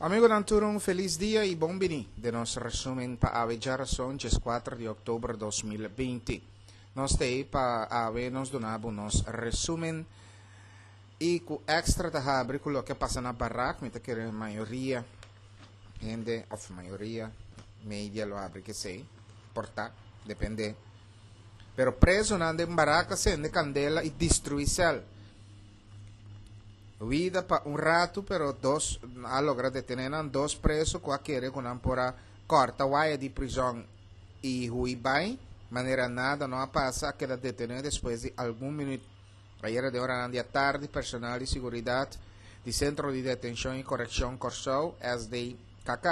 Amigonan tur un felis dia y bon bini den nos resumen pa awe djarason 14 di october 2020. Nos ta ey pa awe nos duna bo nos resumen y cu extra ta habri cu loke a pasa na barak, mi ta kere mayoria hende of mayoria media lo habri kesey, por ta, depende. Pero presonan den barak a sende candela y destrui cel. Huida pa un ratu pero dos a logra detene nan dos preso cu a kere cu nan por a corta waya di prizon y hui bay manera nada no a pasa a keda detene despues di algun minuut. Ayera den oranan di atardi personal di siguridad di Centro di Detencion y Coreccion Corsou, SDKK,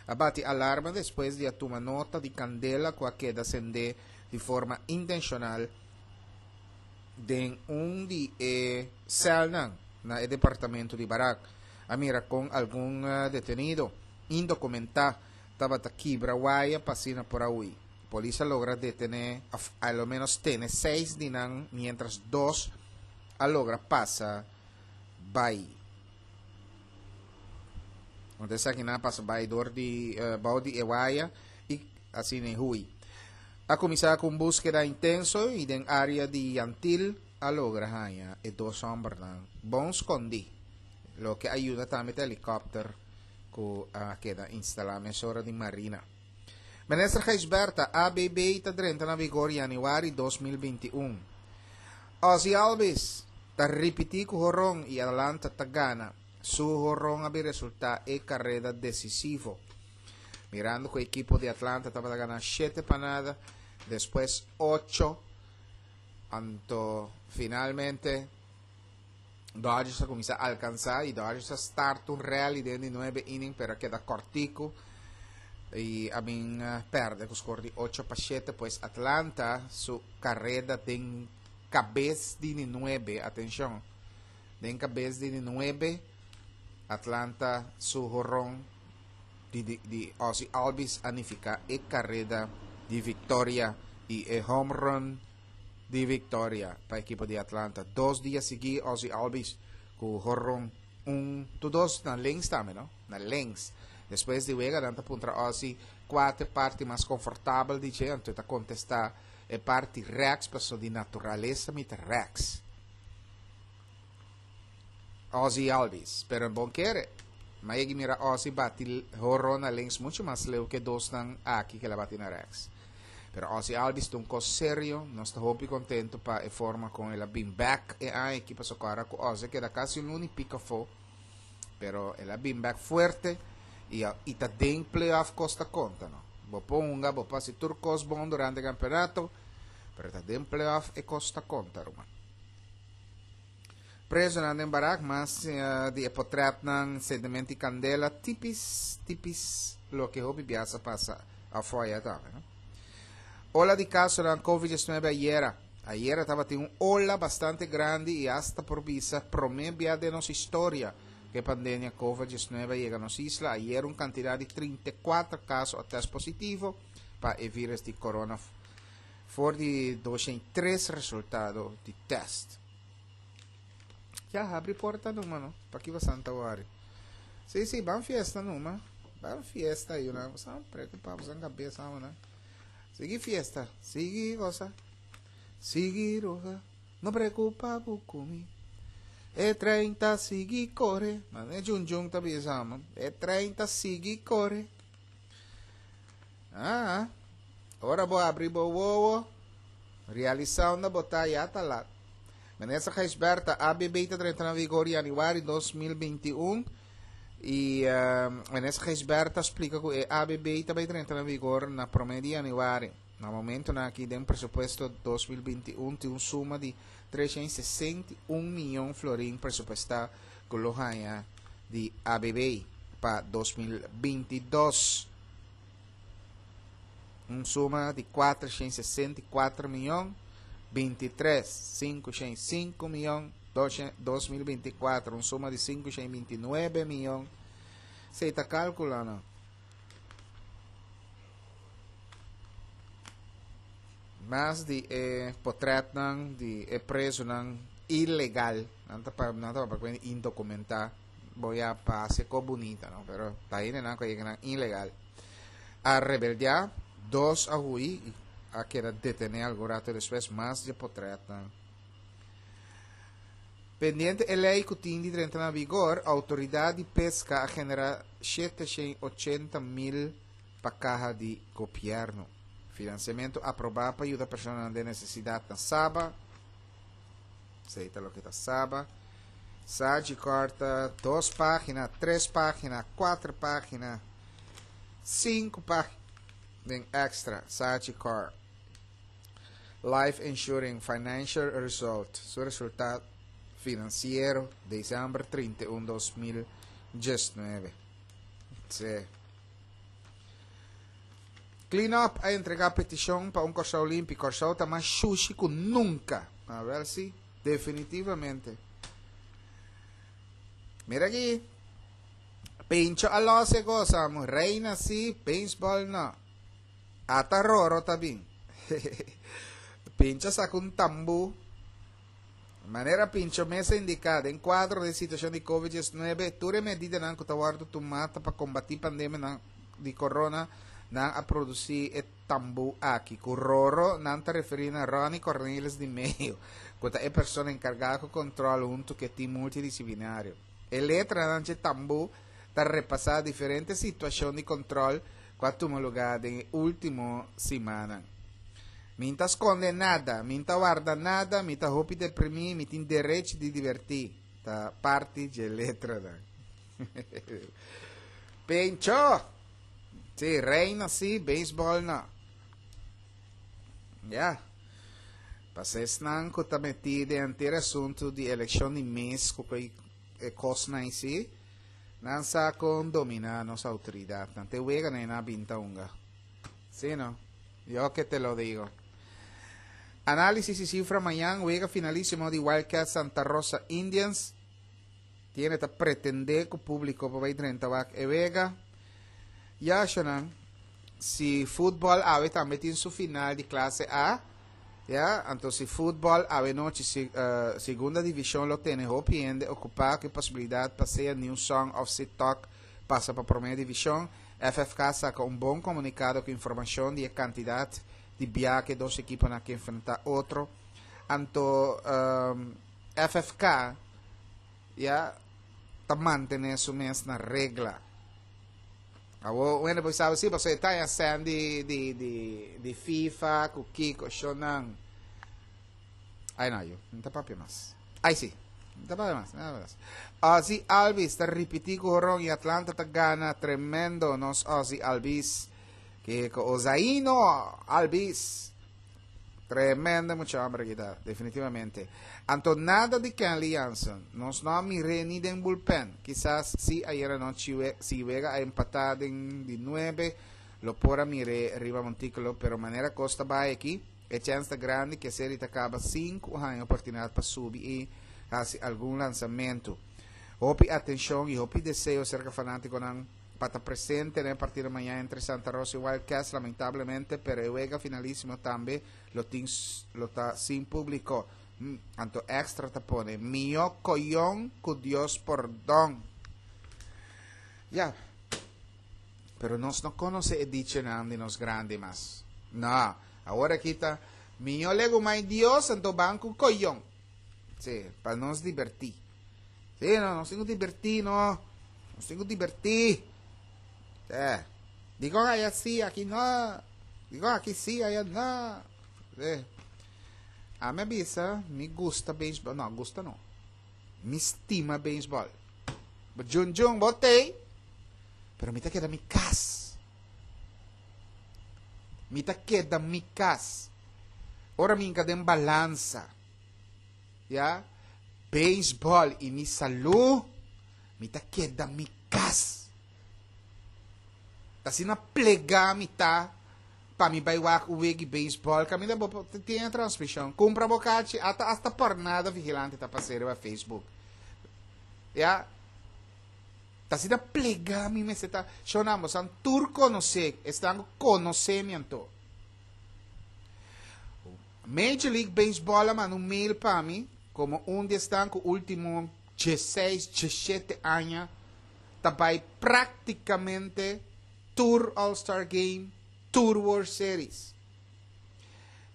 a bati alarma despues di a tuma nota di candela cu a keda sende di forma intencional Den un di e sèlnan na e departamento di barak, a mira kon algun detenido indokumentá tabata kibra waya pa asina por a hui. Polis a logra detené òf a lo ménos tene seis di nan miéntras dos a logra pasa bai. Anto esakinan a pasa bai dor di bou di e waya i asina e hui. A kuminsá ku un búskeda intenso i den área di Yantil a logra haña e dos hòmbernan bon skondí. Loke a yuda tambe ta helikòpter ku a keda instalá mesora di Marina. Minister Gijsbertha, ABB ta drenta na vigor yanüari 2021. Ozzie Albies ta ripití ku horon i Atlanta ta gana. Su horon a bin resultá e kareda desisivo. Mirando ku ekipo di Atlanta tabata gana 7-0, despues 8, anto finalmente Dodgers a kuminsá alkansá i Dodgers a start un rally den di 9 inning pero a keda kòrtiku i a bin pèrdè ku skor di 8-7, pues Atlanta su kareda den kabes di di 9, atenshon, den kabes di di 9, Atlanta su horon di di di Ozzie Albies a nifiká e kareda di viktoria i e home run di viktoria pa ekipo di Atlanta. Dos dia sigui Ozzie Albies ku horon un tu dos na links tambe no, na links. Despues di wega nan ta puntra Ozzie kua ta e parti mas konfortabel di dje anto e ta kontestá e parti rèks pasobra di naturalesa mi ta rèks. Ozzie Albies, pero bon kere. Ma yegi mira Ozzie bati horon na links mucho mas leu ke dosnan aki ke la bati na rechts. Pero Ozzie Albies ta un kos serio, nos ta hopi kontento pa e forma kon el a bin bek e aña aki pasobra ku ora ku Ozzie keda kasi un luna i piko afó, pero el a bin bek fuerte i a i ta den playoff kos ta konta no. Bo por hunga, bo por hasi tur kos bon durante e kampeonato, pero ta den playoff e kos ta konta ruman. Presonan den barak mas di e potretnan sentiment di kandela tipis tipis loke hopi bias a pasa afo aya tambe no. Ola di kasonan covid 19 ayera. Ayera tabatin un ola bastante grandi i asta por bisa prome bia den nos historia ku e pandemia covid 19 a yega nos isla. Ayera un kantidat di 34 kaso a test positivo pa e virus di corona for di 203 resultado di test. Ya, habri porta numa, no? Pa ki basan ta wari? Sí, sí, ban fiesta numa. Ban fiesta, yuna. Basan preocupa, basan cabeza, una. Sigui fiesta, sigui goza. Sigui roga, no preocupa bukumi. E 30 sigui corre. Man, e jun jun ta bisa, man. E 30 sigui corre. Ah, ora bo abri bo wowo, realisa unda bo ta ya ta lat. Minister Gijsbertha, ABB ta drenta na vigor januari 2021 y uh, Minister Gijsbertha splika ku e ABB ta bai drenta na vigor na prome di januari. Na momentonan aki den presupuesto 2021 tin un suma di 361 miyon florin presupuestá ku lo haña di ABB pa 2022. Un suma di 464 miyon 23 505 miyon 2024 un suma di 529 miyon. Esei ta kalkula no. Mas di e potretnan di e presonan ilegal, nan ta pa nan ta papia indokumentá. Bo ya pa hasi ko bunita, no? Pero ta hendenan ku a yega nan ilegal. A rebeldiá, dos a hui i a keda detené algun rato despues, mas dje potretnan. Pendiente e lei ku tin di drenta na vigor, outoridat di peska a generá 780 mil pa kaha di gobièrnu. Finansiamentu aprobá pa yuda personanan den nesesidat na Saba. Esei ta loke ta Saba. Sagicor ta dos página, tres página, kuater página, sinku página den extra. Sagicor. Life Insurance Financial Result, su resultado finansiero, december 31, 2019. Sí. Clean Up a entregá petishon pa un Kòrsou limpi. Kòrsou ta mas shushi ku nunka. Awèl si, definitivamente. Mira aki. Pincho a lòs e kos, amo. Reina si, beisbòl no. Ata Roro ta bin. Pincho saka un tambú. Manera Pincho mes a indiká, den kuadro di e situashon di Covid 19, tur e medidanan ku ta wòrdu tumá ta pa kombatí pandemianan di corona, nan a produsí e tambú aki. Ku Roro nan ta referí na Ronnie Cornelis di Meyo, ku ta e persona enkargá ku kòntròl huntu ku e tim multidisiplinario. E letranan dje tambú ta repasá diferente situashon di kòntròl ku a tuma lugá den e último simannan. Mi n'ta skonde nada, mi n'ta warda nada, mi ta hopi deprimí, mi tin derechi di divertí, ta parti dje letranan. Pencho! Sí, reina sí, beisbòl no. Ya. Pasa esnan ku ta metí den henter asuntu di elekshon di mes ku e kosnan sí, nan sa kon dominá nos outoridatnan. Te wega nan e na binta hunga. Sí, no? Yo que te lo digo. Análisis y cifra mañan, wega finalísimo di Wildcats Santa Rosa Indians. Tiene ta pretende ku público pa bai drenta wak e wega. Ya, shonan, si futbol awe tambe tin su final di clase A, ya, anto si futbol awe nochi si, uh, segunda división lo tene hopi hende ocupá ku e posibilidad pa sea New Song of Sitok pasa pa promé divishon, FFK saka un bon komunikado ku informashon di e kantidat di bia ku e dos ekiponan ke enfrentá otro. Anto FFK ya ta mantené su mes na regla. Awor un hende por sabi si pasobra e ta haña sèn di di di di FIFA ku kiko shonnan. Ai no yu, no ta papia mas. Ai si, no ta papia mas, no ta papia mas. Ozzie Albies ta ripití ku horon i Atlanta ta gana tremendo nos Ozzie Albies. Kiko Ozaino Albies. Tremendo mucha hombre aki ta, definitivamente. Anto nada di Kenley Jansen. Nos no a mir'é ni den bullpen. Kisas si ayera nochi si wega a empatá den di nuebe, lo por a mir'é riba montículo, pero manera kos ta bai aki, E chèns ta grandi ku e seri ta kaba sin ku haña oportunidat pa subi i hasi algun lansamentu. Hopi atenshon i hopi deseo serka fanátikonan pa ta presente na e partido mañan entre Santa Rosa i Wild Cats. Lamentablemente, pero e wega finalísimo tambe lo tin lo ta sin públiko. Anto Extra ta pone, Mihó koyon ku Dios pordon. Ya. Pero nos no konosé e dichonan di nos grandi mas. No. Awor aki ta, Miño legumai Dios, anto ban ku koyon. Sí, pa nos dibertí. Sí, no, nos tin ku dibertí, no. Nos tin ku dibertí. Sí. Dikon aya sí, aki no. Dikon aki sí, aya no. Sí. Ami a bisa, mi gusta beisbòl. No, gusta no. Mi stima beisbòl. Bo djun djun, bo tei. Pero mi ta keda mi kas. Mi ta keda mi kas. Ora mi hinka den balansa, ya, beisbòl i mi salú, mi ta keda mi kas. Ta asina plegá mi ta pa mi bai wak un wegi beisbòl kaminda bo por tin e transmishon. Kumpra bo kachi, ata asta pòrnada vigilante ta pas'é riba Facebook. Ya. Ta asina plegá mi mester ta. Shonnan, bosan tur konosé, esnan ku konosé mi anto. Major League Baseball a manda un mail pa mi komo un di esnan ku último. 16, 17 aña ta bai práktikamente tur All Star Game, tur World Series.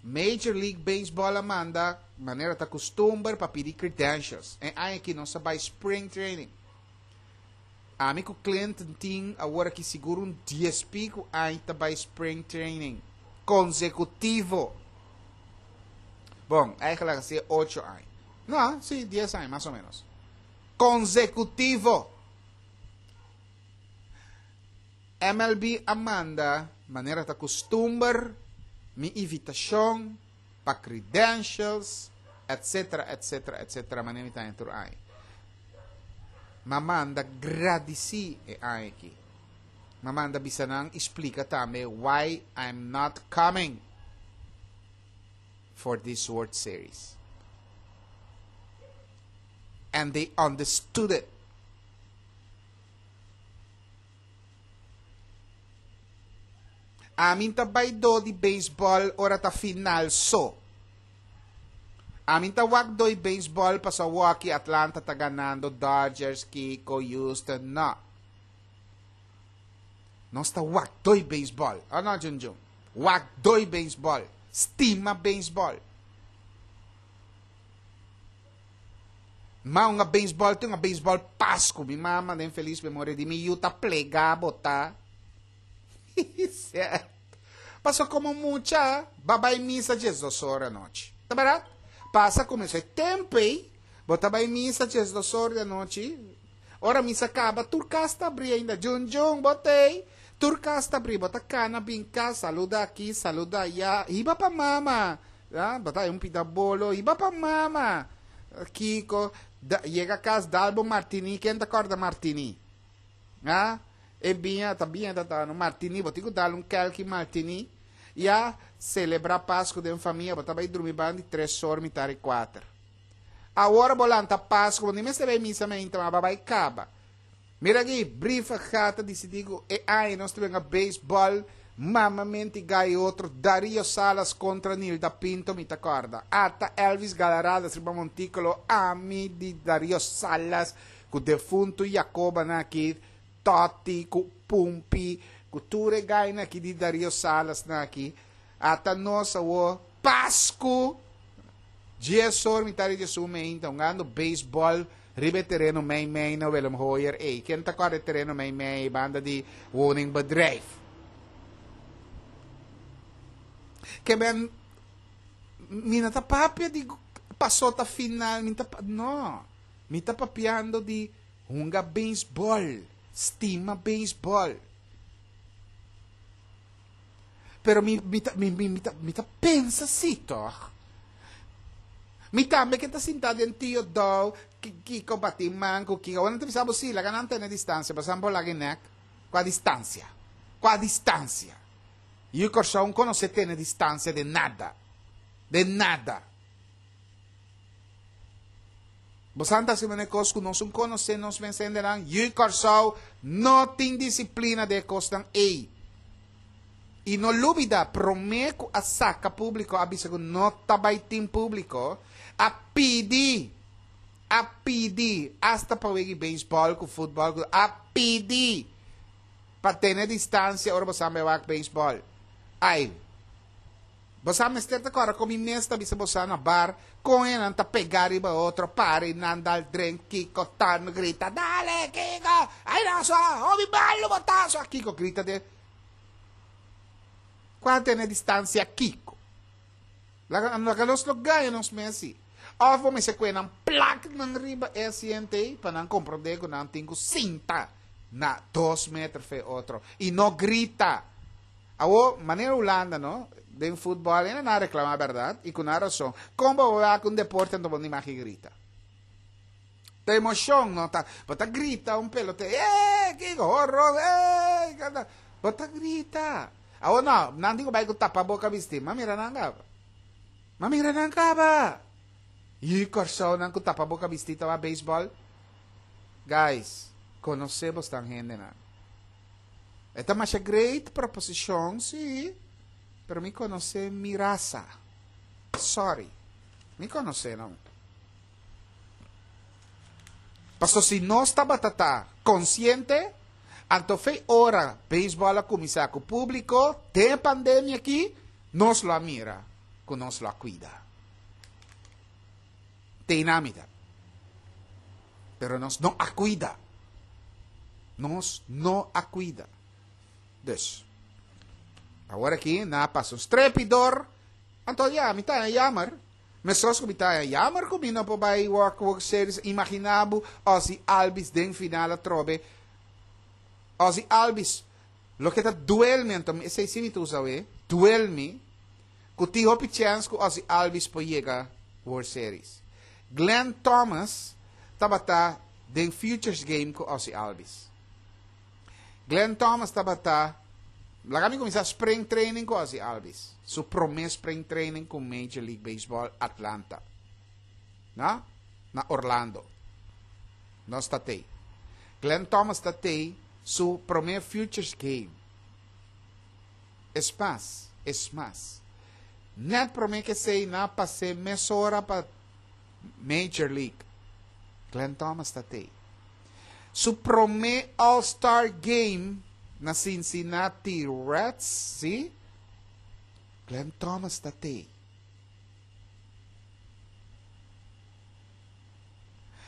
Major League Baseball a manda, manera ta kustumber, pa pidi credentials. E aña aki nos a bai spring training. Ami ku Clinton tin awor aki sigur un dies piku aña ta bai spring training konsekutivo. Bon, eigenlijk a ocho aña. No, sí, 10 aña, mas o menos. Konsekutivo. MLB a manda, manera ta kustumber, mi invitashon pa credentials, etc., etc., etc., manera mi ta tur aña. M'a manda gradisí e aña aki. M'a manda bisa nan splika tambe why I'm not coming for this World Series. And they understood it. Ami ta bai do di baseball ora ta final so. Ami ta wak doi baseball paso awaki Atlanta ta ganando, Dodgers, Kiko, Houston, no. Nos ta wak doi baseball. Oh no, Jun Jun. Wak doi baseball. Stima baseball. Ma un baseball tin un baseball Pasku. Mi mama den feliz memoria di mi yu ta plega bota. Paso komo mucha, b'a bai misa 12 or anochi. Ta bèrdat? Pasa kuminsá e tempu ei, bo ta bai misa 12 or di anochi. Ora misa kaba, tur kas ta abrí ainda. Jun Jun, bo t'ei? Tur kas ta abrí. Bo ta kana bin kas, saluda aki, saluda aya. Hiba pa mama. Ah, bo ta un pida bolo. Hiba pa mama. Kiko, da, yega kas, dal bo martini. Ken ta kòrda martini? Ah, e biña, ta biña ta ta no martini. Bo tin ku dal un kèlki martini. Ya, selebrá Pasku den famia. Bo ta bai drumi banda di tres or, mitar di kuater. Awor bo lanta Pasku, bo ni mester bai misa mainta, ma bo a bai kaba. Mira aki, Brievengat a disidí ku e aña nos ta benga beisbòl, mamamenti gai otro, Dario Salas kontra Nilda Pinto mi ta kòrda. Ata Elvis Galarradas riba montíkulo, ami di Dario Salas ku defuntu Jacobanan aki, Tòti ku Pumpi, ku tur e gainan aki di Dario Salasnan aki. Ata nos awor, Pasku! 10 or mitad di 11 meinta hungando beisbòl riba e tereno mei mei na Willem Hoyer ei. Ken ta kòrda e tereno mei mei banda di woningbedrijf? Ke men mi no ta papia di pasó ta final mi ta no mi ta papiando di hunga beisbòl stima beisbòl. Pero mi, mi ta, mi, mi, mi ta, mi ta pensa si, toch? Mi tambe ke ta sinta den Tio Dou, Kiko bati man ku Kiko. Awor nan ta bisa bo si, laga nan tene distansia, pasobra nan por laga e nek. Kua distansia? Kua distansia? Yu Kòrsou konosé tene distansia den nada. Den nada. Bo sa ta hasi manera kos ku nos un konosé nos mes hendenan? Yu Kòrsou no tin disiplina den e kosnan ei. I no lubida, promé ku a saka públiko a bisa ku no ta bai tin públiko, a pidi, a pidi, asta pa wega beisbòl ku futbòl ku a pidi pa tene distansia ora bo sa bai wak beisbòl. Ai, bo sa mester ta kòrda kon mi mes ta bisa bo sa na bar kon e nan ta pega riba otro, para i nan dal drink, kiko tan grita, dale Kiko, ai nan so, hopi malu bo ta so, Kiko grita den. Kua tene distansia kiko? Laga laga nos lo gaña nos mes si. Of bo mester kue nan plak nan riba e asiento ei pa nan komprondé ku nan tin ku sinta na dos meter fe otro i no grita. Awor, manera Hulanda no, den futbòl e nan a reklamá bèrdat i ku nan rason. Kon bo a wak un deporte anto bo no imagi grita? Ta emoshon no ta bo ta grita un pelote eh kiko horor eh bo ta grita awor no nan tin ku bai ku tapa boka bisti ma mira nan kaba ma mira nan kaba yu Kòrsou nan ku tapa boka bisti ta wak beisbòl guys konosé bosnan hendenan e ta masha great proposishon si pero mi konosé mi rasa sorry mi konosé nan. Paso si nos tabata ta konsiente, anto fei ora beisbòl a kuminsá ku públiko den e pandemia akí, nos lo a mira ku nos lo a kuida. Tei na mi ta. Pero nos no a kuida. Nos no a kuida. Dus, awor aki nan a pasa un strepi dor, anto ya, mi ta haña jammer. Meskos ku mi ta haña jammer ku mi no por bai wak World Series, imagina bo Ozzie Albies den final atrobe. Ozzie Albies, loke ta duel mi, anto esei si mi ta usa awe, duel mi, ku tin hopi chèns ku Ozzie Albies por yega World Series. Glenn Thomas tabata den Futures Game ku Ozzie Albies. Glenn Thomas tabata, laga mi kuminsá spring training ku Ozzie Albies, su promé spring training ku Major League Baseball Atlanta, na, na Orlando. Nos ta tei. Glenn Thomas ta tei su promé Futures Game. Es mas, es mas. Nèt promé ke esei nan a pas'é mesora pa Major League. Glenn Thomas ta tei. Su promé All Star Game na Cincinnati Reds, sí? Glenn Thomas ta tei.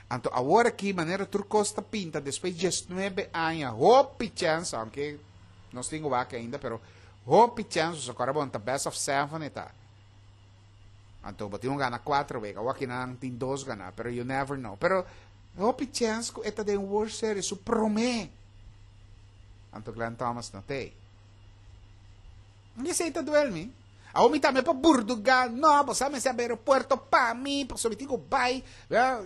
Anto awor aki manera tur kos ta pinta despues diesnuebe aña hopi chèns, aunke nos tin ku wak ainda, pero hopi chèns, pasobra kòrda bon ta best of seven e ta. Anto bo tin un gana cuatro wega. Awor kinan tin dos gana, pero you never know. Pero hopi chance cu e ta den World Series su prome. Anto Glenn Thomas no t'ey. Esey ta duel mi. Awor mi tambe por burduga, no, bo sa mester habri aeropuerto pa mi, pasobra mi tin cu bay,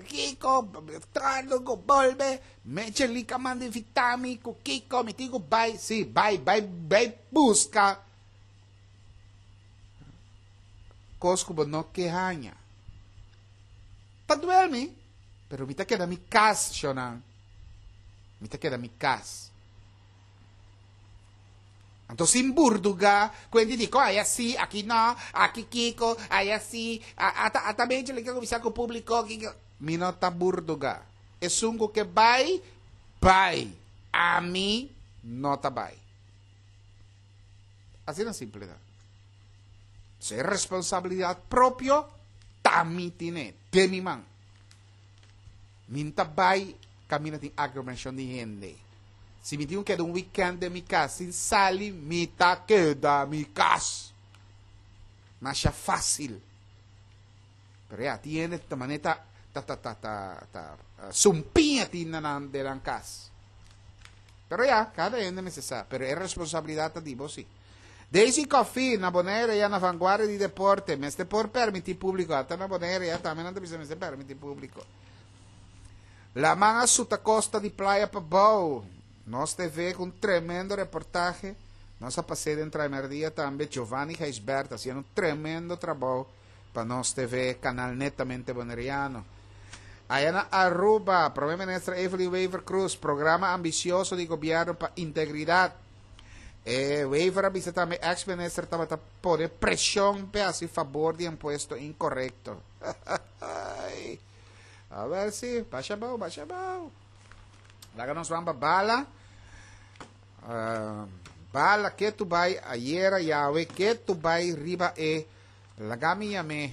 Kiko, tardo cu bolbe, Major League a manda invita mi cu Kiko, mi tin cu bay. Si, bay, bay, bay busca. Kos ku bo no ke haña. Ta duel mi, pero mi ta keda mi kas, shonnan. Mi ta keda mi kas. Anto sin burduga, ku hende di ko aya si, aki no, aki kiko, aya si, ata ata bechi le ke kuminsá ku públiko, kiko. Mi no ta burduga. Esun ku ke bai, bai. Ami no ta bai. Asina simple ta. So e responsabilidad propio ta mi tine, den mi man. Mi n'ta bai caminda tin aglomeracion di hende. Si mi tin cu keda un weekend den mi cas sin sali, mi ta keda mi cas. Masha facil. Pero ya, tin hende ta manera ta ta ta ta ta ta sumpiña tin na nan den nan cas. Pero ya, cada hende mester sa, pero e responsabilidad ta di bo si. Daisy Coffie, na Bonaire ya na vanguardia di deporte, mester por permiti publico, ata na Bonaire ya tambe nan ta bisa mester permiti publico. Laman a suta costa di Playa Pabou. Nos TV cu un tremendo reportahe. Nos a pas'é den Traimerdia tambe, Giovanni Gijsbert haciendo un tremendo trabou. Pa Nos TV, canal netamente boneriano. Aya na Aruba, Prome Minister Evelyn Wever-Croes, programa ambicioso di gobierno pa integridad. E Wever a bisa tambe ex-minister tabata pone presion p'e haci fabor di impuesto incorrecto. A ver si, basha abao, basha abao. Laga nos ban pa bala. Uh, bala ke tu bai ayera yawe ke tu bai riba e Laga mi yam'é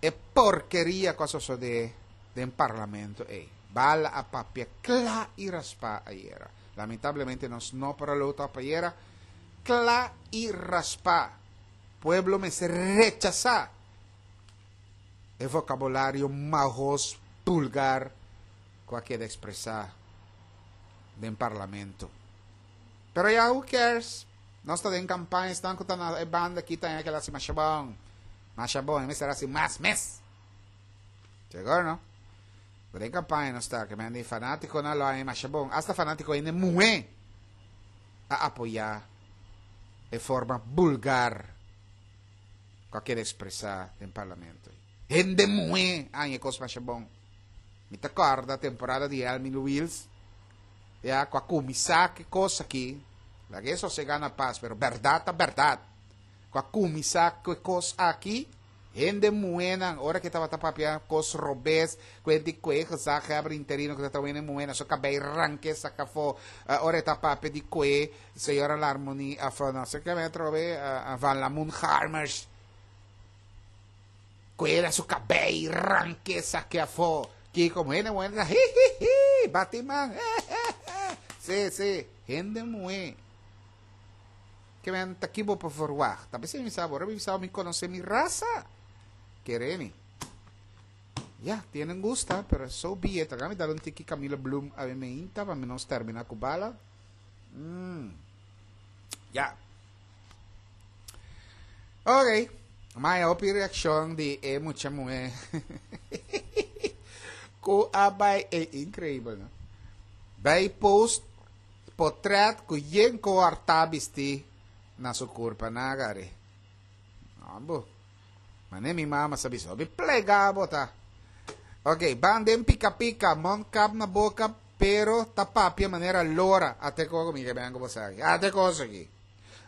e porkeria ku a sosodé den parlamento ei. Bala a papia kla i raspá ayera. Lamentablemente nos no por a lou tòp ayera. Kla i raspá. Pueblo mester rechasá e vokabulario mahos, bulgar ku a keda ekspresá den parlamento. Pero ya, who cares? Nos ta den campaña, esnan cu ta na e banda aki ta haña ke el haci masha bon. Masha bon, e mester haci mas mes. Seguro no? Pero den campaña nos ta, ke men di fanaticonan lo haña masha bon. Hasta fanatico hende muhe a apoya e forma bulgar cu a keda expresa den parlamento. Hende muhe a haña e cos masha bon. Mi ta corda temporada di Elmin Wiels, ya cu a cuminsa cu e cos aki, laga e sosega na paz, pero berdad ta berdad, cu a cuminsa cu e cos aki. Hende muhénan, ora ku e tabata papia kos robes, ku e di ku e gezaghebber interino ku ta traha hende muhé na su kabei rank'é saka afó, ora e ta papia di ku e señora Larmonie òf no sé ke atrobe Van Lamoen Garmers, ku e na su kabei rank'é sak'é afó. Kiko hende muhé ta hihihi, bati man, hehehe. Sí, sí, hende muhé. Ke men ta ki bo por verwagt? Ta p'esei mi sa bo, ora mi bisa bo mi konosé mi rasa. Kere mi. Ya, tienen gusta, pero so be it. Laga mi dal un tiki Camila Bloem awe meinta pa mi nos termina ku bala. Mm. Ya. Ok. Maya hopi reakshon di e mucha muhé. Ku a bai, e increíble, no? Bai post Potret ku yen koartá bistí na su kurpa na gari. Ambo. Mane mi mama sa bisa, hopi plegá bo ta. Ok, ban den pika pika, mondkap na boka, pero ta papia manera lora. Ate koko mi ke ben ku bo sa aki. Ate kos aki.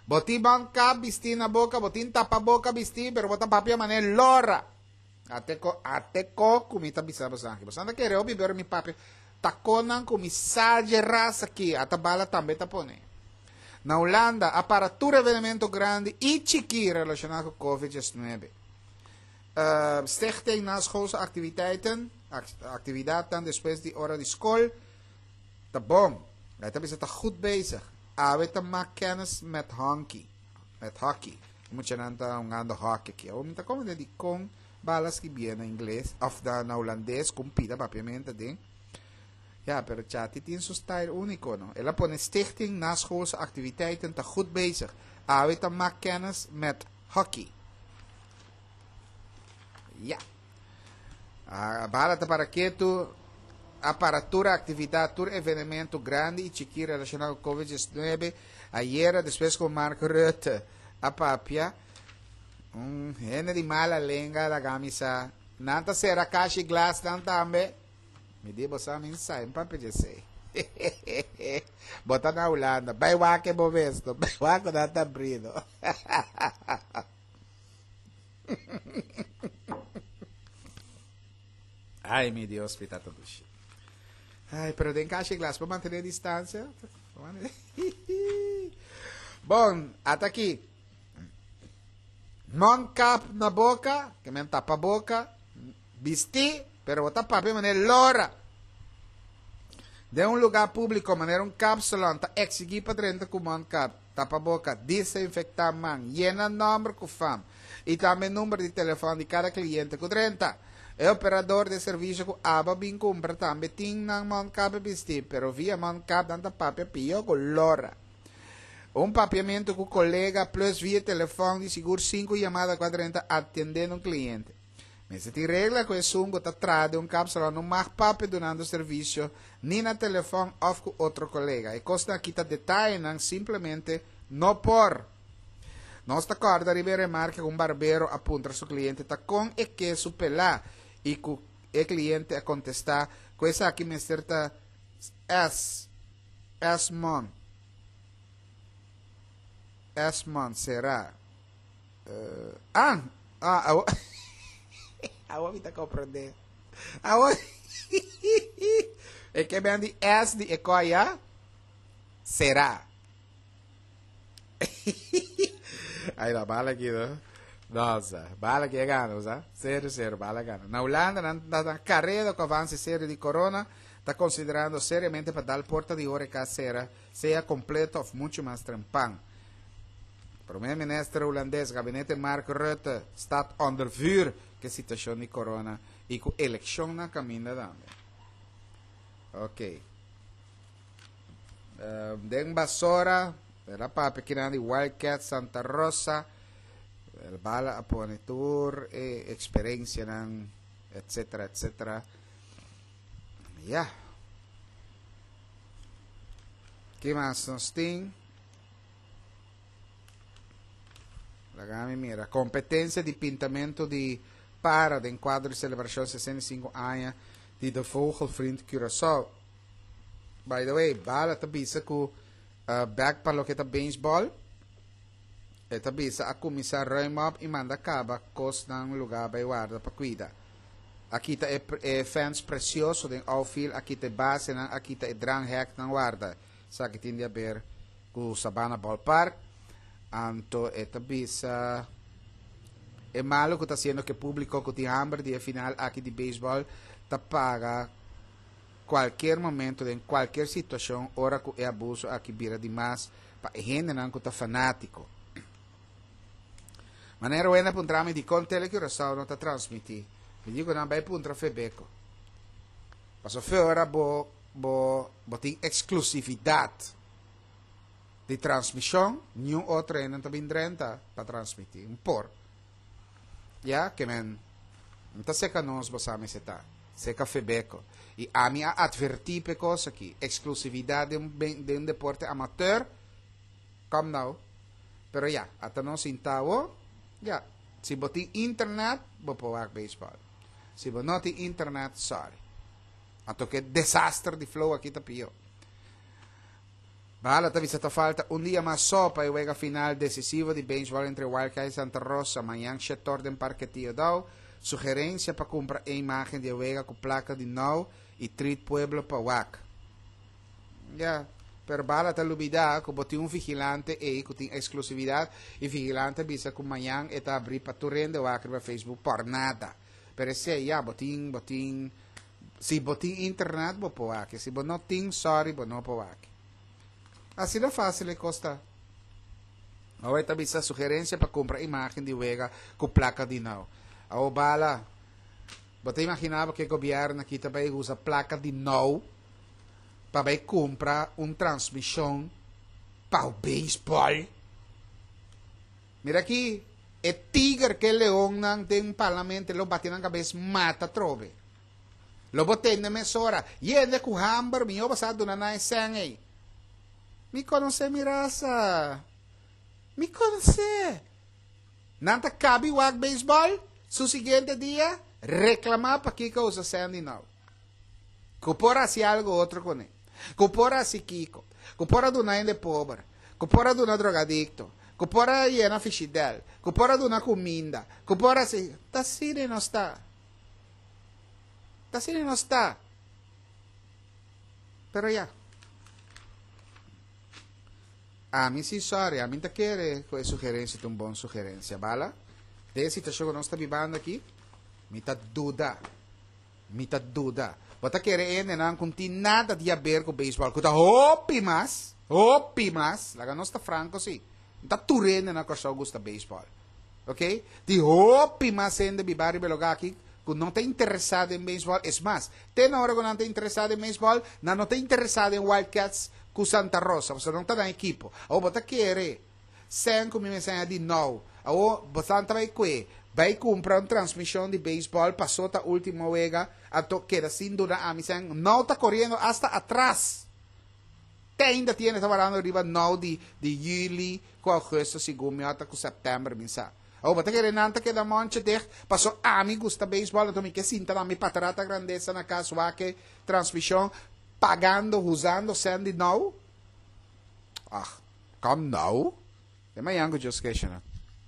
Bo tin mondkap bistí na boka, bo tin tapaboka bistí, pero bo ta papia manera lora. Ate ko, ate ko ku mi ta bisa boso aki. Boso ta kere hopi pero mi papia ta konan ku mi sa dje ras aki, ata bala tambe ta pone. Na Hulanda a para tur evenemento grandi i chikí relashoná ku Covid 19. Uh, Stichting Naschoolse Activiteiten, aktividatnan despues di ora di skol, ta bon. Hij ta bisa ta goed bezig. Awe ta mak kennis met honky. Met hockey. E muchanan ta hungando hockey aki. Awor mi ta komprende dikon bala skibié na ingles of na na hulandes ku un pida papiamento aden. Ya, pero Chati tin su style úniko, no? El a pone Stichting Naschoolse Activiteiten ta goed bezig. Awe ta mak kennis met hockey. Ya. Ah, bala ta para ketu a para tur aktividat, tur evenemento grandi i chikí relashoná ku Covid-19. Ayera, despues ku Mark Rutte a papia, un hende di mala lenga laga mi sa, nan ta sera kashi glasnan tambe. Mi di bo sa mi sa, mi papia dje esei. Bo ta na Hulanda, bai wak e bo mes no, bai wak ku nan ta abrí no. Ay, mi Dios, mi tata dushi. Ay, pero den kashi glas pa mantener distancia. Bon, ata aki. Mondkap na boca, ke men tapa boca, bisti, pero bo ta papia manera lora. Den un lugar público manera un kapsalon ta exigí pa drenta ku mondkap. Tapaboka, disinfektá man, yena nòmber ku fam i tambe number di telefòn di kada kliente ku drenta. E operador di e servisio ku abo bin kumpra tambe tin nan mondkap bistí, pero via mondkap nan ta papia pió ku lora. Un papiamentu ku kolega plus via telefòn di sigur sinku yamada ku a drenta atendendo un kliente. Mester tin regla ku esun ku ta traha den un kapsalon no mag papia dunando servisio ni na telefòn òf ku otro kolega. E kosnan aki ta detayenan simplemente no por. Nos ta kòrda riba e remarke ku un barbero a puntra su kliente ta kon e ke su pelá i ku e kliente a kontestá ku esaki mester ta S. S-mon. S-mon será. Ah, ah, awo, awo mi ta comprende. Awo, e ke ben di S di e koya, será. Ay, la bala aquí, no? Nossa, bala que gana, sa? Serio, serio, bala gana. Na Hulanda, nan ta na carrera cu avance serio di corona, ta considerando seriamente pa dal porta di horeca cera, sea completo of mucho mas trempan. Prome Minister Hulandes, Gabinete Mark Rutte, staat onder vuur ku e situashon di corona i ku elekshon na kaminda tambe. Ok. Uh, den Basora, el a papia kinan di Wildcat Santa Rosa, el bala a pone tur e eksperensianan, etcetera, etcetera. Ja. Ki mas nos tin? Laga mi mira. Competencia di pintamento di para den cuadro di celebracion 65 aña di De Vogelvriend Curaçao. By the way, Bala ta bisa cu uh, back pa loke ta baseball. E ta bisa a kuminsá ruim op i manda kaba kosnan lugá bai warda pa kuida. A kita e e fence presioso den outfield, a kita e basenan, a kita e drangheknan warda. Esaki tin di haber ku Sabana Ballpark. Anto e ta bisa e malu ku ta hasiendo ku e públiko ku tin hamber di e final aki di beisbòl ta paga kualkier momento den kualkier situashon ora ku e abuso aki bira di mas pa e hendenan ku ta fanátiko. Manera wende a puntra mi dikon Tele Curaçao no ta transmití, mi di ku nan bai puntra Febeko. Pasobra fe ora bo bo bo tin eksklusividat di transmishon, niun otro hende no ta bin drenta pa transmití. Un por. Ya, ke men no ta seka nos bo sa mester ta. Seka Febeko. I ami a atvertí p'e kos aki. Eksklusividat den un den un deporte amateur, kom nou. Pero ya, ata nos sinta awo, ya, si bo tin internet, bo por wak beisbòl. Si bo no tin internet, sorry. Anto ke desaster di flow aki ta pió. Bala ta bisa ta falta un dia mas so pa e wega final decisivo di beisbol entre Wildcats y Santa Rosa mañan shetor den Parke Tio Daou. Sugerencia pa cumpra e imagen di e wega cu placa di nou y treat pueblo pa wak. Ya, pero Bala ta lubida cu bo tin un vigilante ey cu tin exclusividad y vigilante a bisa cu mañan e ta abri pa tur hende wak riba Facebook por nada. Pero esey ya, bo tin, bo tin. Si bo tin internet bo por wak, si bo no tin, sorry, bo no por wak. Asina fácil e kos ta. Awe ta bisa sugerencia pa kumpra imagen di wega ku plaka di nou. Awo bala, bo ta imagina bo ke gobierno aki ta bai usa plaka di nou pa bai kumpra un transmishon pa beisbòl? Mira aki, e tiger ke leonnan den parlamento lo bati nan kabes mata atrobe. Lo bo tende mesora, Yende ku hamber, mihó bo sa duna nan e sèn ei. Mi konosé mi rasa. Mi konosé. Nan ta kabi wak beisbòl, su siguiente dia, reklamá pakiko usa sèn di nou. Ku por hasi algu otro kuné. Ku por hasi kiko. Ku por a duna hende pober. Ku por a duna drogadikto. Ku por a yena fishidèl. Ku por a duna kuminda. Ku por hasi. Ta asina nos ta. Ta asina nos ta. Pero ya. Ami si sorry, ami ta kere ku e sugerensia ta un bon sugerensia. Bala, den e situashon ku nos ta bibando aki, mi ta duda. Mi ta duda. Bo ta kere e hendenan ku no tin nada di haber ku beisbòl, ku ta hopi mas, hopi mas, laga nos ta franko si, no ta tur hende na Kòrsou gusta beisbòl, oke? Tin hopi mas hende biba riba e lugá aki ku no ta interesá den beisbòl, es mas, te na ora ku nan ta interesá den beisbòl, nan no ta interesá den Wild Cats ku Santa Rosa, pasobra nan ta nan ekipo. Awor bo ta kere Sèn ku mi mester haña di nou. Awor, bosan ta bai kue, bai kumpra un transmishon di beisbòl pasó ta último wega, anto keda sin duna ami sèn. Nou ta koriendo asta atras. Te ainda tiene ta warando riba nou di di yüli ku ougùstus segun mi ota ku sèptèmber mi sa. Awor bo ta kere nan ta keda monchi dicht pasó ami gusta beisbòl anto mi ke sinta na mi patrata grandesa na kas wak e transmishon pagando usando sèn di nou? Ach. Kom nou. E mañan ku Dios kesha nan.